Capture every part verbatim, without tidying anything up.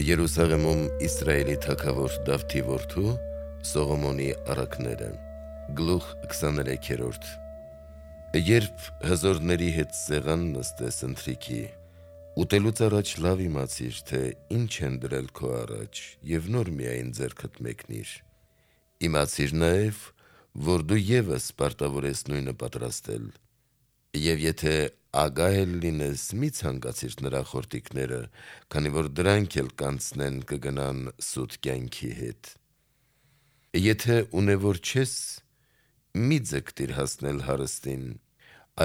Երուսաղեմում Իսրայելի թագավոր Դավթի որդու Սողոմոնի առակները Գլուխ քսաներեքերորդ Երբ հզորների հետ սեղան նստես ընթրիքի, ուտելուց առաջ լավ իմացիր, թե ինչ են դրել քո առաջ, և նոր միայն ձեռքդ մեկնիր: Իմացիր նաև, որ դու ևս պարտավոր ես նույնը պատրաստել: Եվ եթե ագահ լինես, մի ցանկացիր նրա խորտիկները, քանի որ դրանք էլ կանցնեն կգնան սուտ կյանքի հետ: Եթե ունևոր չես, մի ձգտիր հասնել հարստին,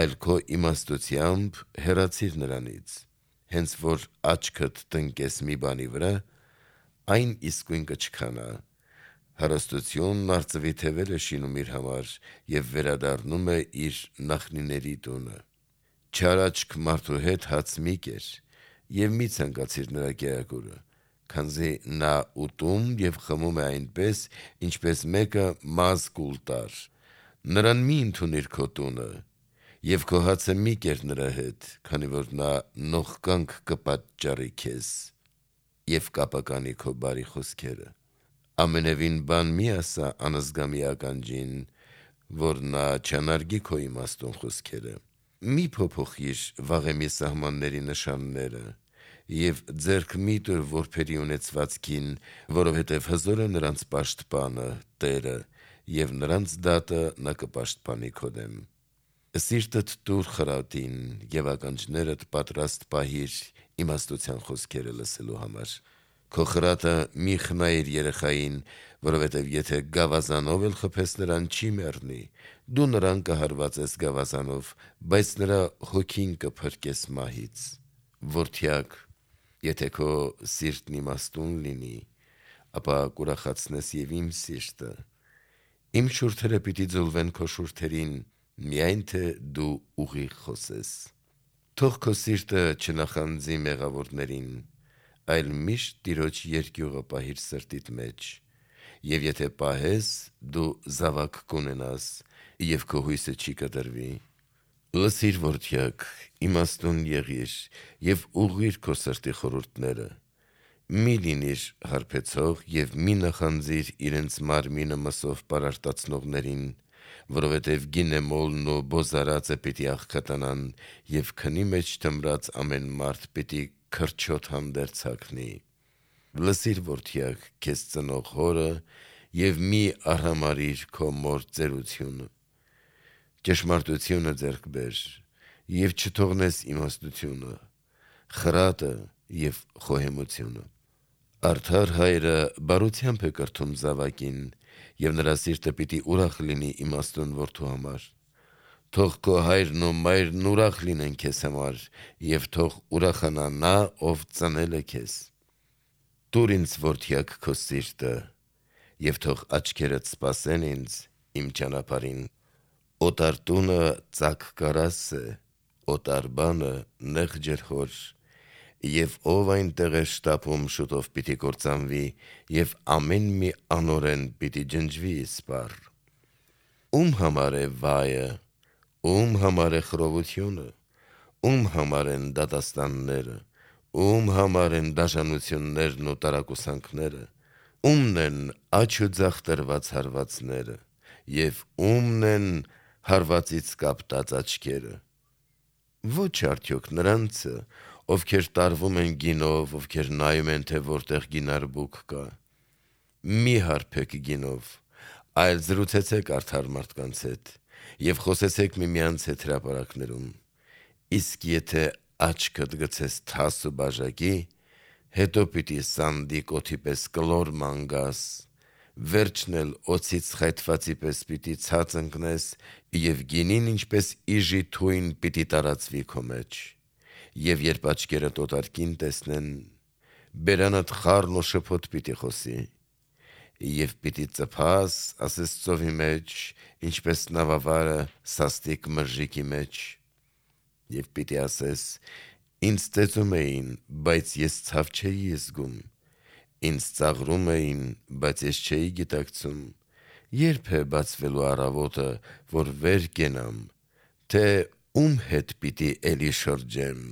այլ քո իմաստությամբ հեռացիր նրանից: Հենց որ աչքդ տնկես մի բանի վրա, այն իսկույն կչքանա: Հարստությունն արծվի թևեր է շինում իր համար և վերադառնում է իր նախնիների տունը: Չար աչք մարդու հետ հաց մի կեր և մի ցանկացիր նրա կերակուրը, քանզի նա ուտում և խմում է այնպես, ինչպես մեկը մազ կուլ տար: Նրան մի ընդունիր քո տունը և քո հացը մի կեր նրա հետ, քանի որ նա նողկանք կպատճառի քեզ և կապականի քո բարի խոսքերը: Ամենևին բան մի ասա անզգամի ականջին, որ նա չանարգի քո իմաստուն խոսքերը: Մի փոփոխիր վաղեմի սահմանների նշանները և ձեռք մի տուր որբերի ունեցվածքին, որովհետև հզոր է նրանց պաշտպանը, Տերը, և նրանց դատը նա կպաշտպանի քո դեմ: Սիրտդ տուր խրատին և ականջներդ պատրաստ պահիր իմաստության խոսքերը լսելու համար: Քո խրատը մի խնայիր երեխային, որովհետև եթե գավազանով էլ խփես նրան, չի մեռնի: Դու նրան կհարվածես գավազանով, բայց նրա հոգին կփրկես մահից: Որդյակ, եթե քո սիրտն իմաստուն լինի, ապա կուրախացնես և իմ սիրտը: Իմ շուրթերը պիտի ձուլվեն քո շուրթերին, միայն թե դու ուղիղ խոսես: Թող քո սիրտը չնախանձի մեղավորներին, այլ միշտ Տիրոջ երկյուղը պահիր սրտիդ մեջ: Եվ եթե պահես, դու զավակ կունենաս, և քո հույսը չի կտրվի: Լսիր, որդյակ, իմաստուն եղիր և ուղղիր քո սրտի խորհուրդները: Մի լինիր հարբեցող և մի նախանձիր իրենց մարմինը մսով պարարտացնողներին, որովհետև գինեմոլն ու բոզարածը պիտի աղքատանան և քնի մեջ թմրած ամեն մարդ պիտի քրչոտ հանդերձ հագնի: Լսիր, որդյակ, քեզ ծնող հորը և մի արհամարհիր քո մոր ծերությունը: Ճշմարտությունը ձեռք բեր և չթողնես իմաստությունը, խրատը և խոհեմությունը: Արդար հայրը բարությամբ է կրթում զավակին և նրա սիրտը պիտի ուրախ լինի իմաստուն որդու համար: Թող քո հայրն ու մայրն ուրախ լինեն քեզ համար և թող ուրախանա նա, ով ծնել է քեզ: Տուր ինձ, որդյակ, քո սիրտը և թող աչքերդ սպասեն ինձ իմ ճանապարհին: Օտար տունը ծակ կարաս է, օտար բանը նեղ ջրհոր: Եվ ով այնտեղ է շտապում, շուտով պիտի կործանվի և ամեն մի անօրեն պիտի ջնջվի իսպառ: Ո՞ւմ համար է վայը, ո՞ւմ համար է խռովությունը, ո՞ւմ համար են դատաստանները, ո՞ւմ համար են դաժանություններն ու տարակուսանքները, ո՞ւմն են աջ ու ձախ տրված հարվածները և ո՞ւմն են հարվածից կապտած աչքերը: Ոչ արդյոք նրանցը, ովքեր տարվում են գինով, ովքեր նայում են, թե որտեղ գինարբուք կա: Մի հարբեք գինով, այլ զրուցեցեք արդար մարդկանց հետ և խոսեցեք միմյանց հետ հրապարակներում: Իսկ եթե աչքդ գցես թաս ու բաժակի, հետո պիտի սանդիկ օդի պես կլոր ման գաս, վերջն էլ օձից խայթվածի պես պիտի ցած ընկնես և գինին ինչպես իժի թույն պիտի տարածվի քո մեջ: Եվ երբ աչքերդ օտար կին տեսնեն, բերանդ խառն ու շփոթ պիտի խոսի: Եվ պիտի ծփաս, ասես ծովի մեջ, ինչպես նավավարը սաստիկ մրրիկի մեջ: Եվ պիտի ասես. ինձ ծեծում էին, բայց ես ցավ չէի զգում, ինձ ծաղրում էին, բայց ես չէի գիտակցում: Ե՞րբ է բացվելու առավոտը, որ վեր կենամ, թե ո՞ւմ հետ պիտի էլի շրջեմ: